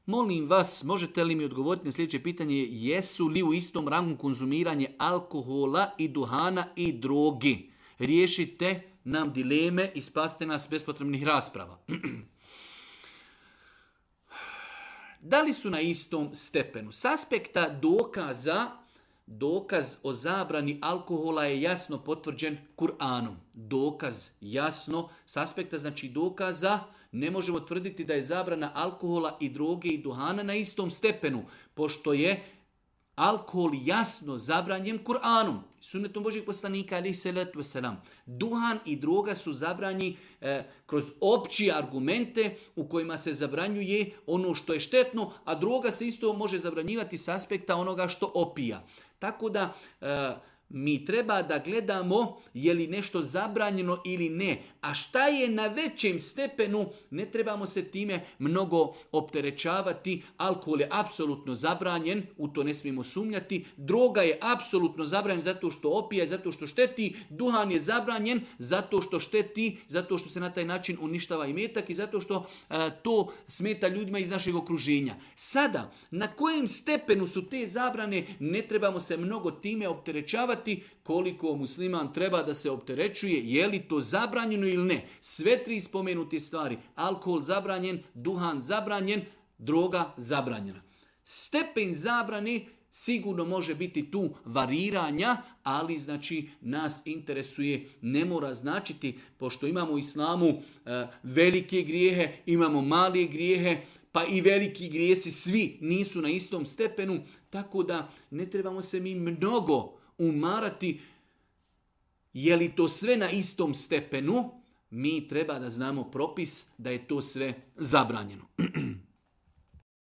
Molim vas, možete li mi odgovoriti na sljedeće pitanje, jesu li u istom rangu konzumiranje alkohola i duhana i drogi? Riješite nam dileme i spasite nas bespotrebnih rasprava. Da li su na istom stepenu? S aspekta dokaz o zabrani alkohola je jasno potvrđen Kur'anom. Dokaz jasno, s aspekta znači dokaza, ne možemo tvrditi da je zabrana alkohola i droge i duhana na istom stepenu, pošto je alkohol jasno zabranjen Kur'anom, sunnetom Božjeg poslanika, alejhi selatu vesselam. Duhan i droga su zabranjeni kroz opće argumente u kojima se zabranjuje ono što je štetno, a droga se isto može zabranjivati s aspekta onoga što opija. Tako da mi treba da gledamo je li nešto zabranjeno ili ne. A šta je na većem stepenu, ne trebamo se time mnogo opterećavati. Alkohol je apsolutno zabranjen, u to ne smijemo sumnjati. Droga je apsolutno zabranjen zato što opija i zato što šteti. Duhan je zabranjen zato što šteti, zato što se na taj način uništava imetak i zato što to smeta ljudima iz našeg okruženja. Sada, na kojem stepenu su te zabrane, ne trebamo se mnogo time opterećavati. Koliko musliman treba da se opterećuje, je li to zabranjeno ili ne. Sve tri spomenute stvari, alkohol zabranjen, duhan zabranjen, droga zabranjena. Stepen zabrane sigurno može biti tu variranja, ali znači nas interesuje, ne mora značiti, pošto imamo u islamu velike grijehe, imamo male grijehe, pa i veliki grijesi svi nisu na istom stepenu, tako da ne trebamo se mi mnogo umarati je li to sve na istom stepenu. Mi treba da znamo propis da je to sve zabranjeno.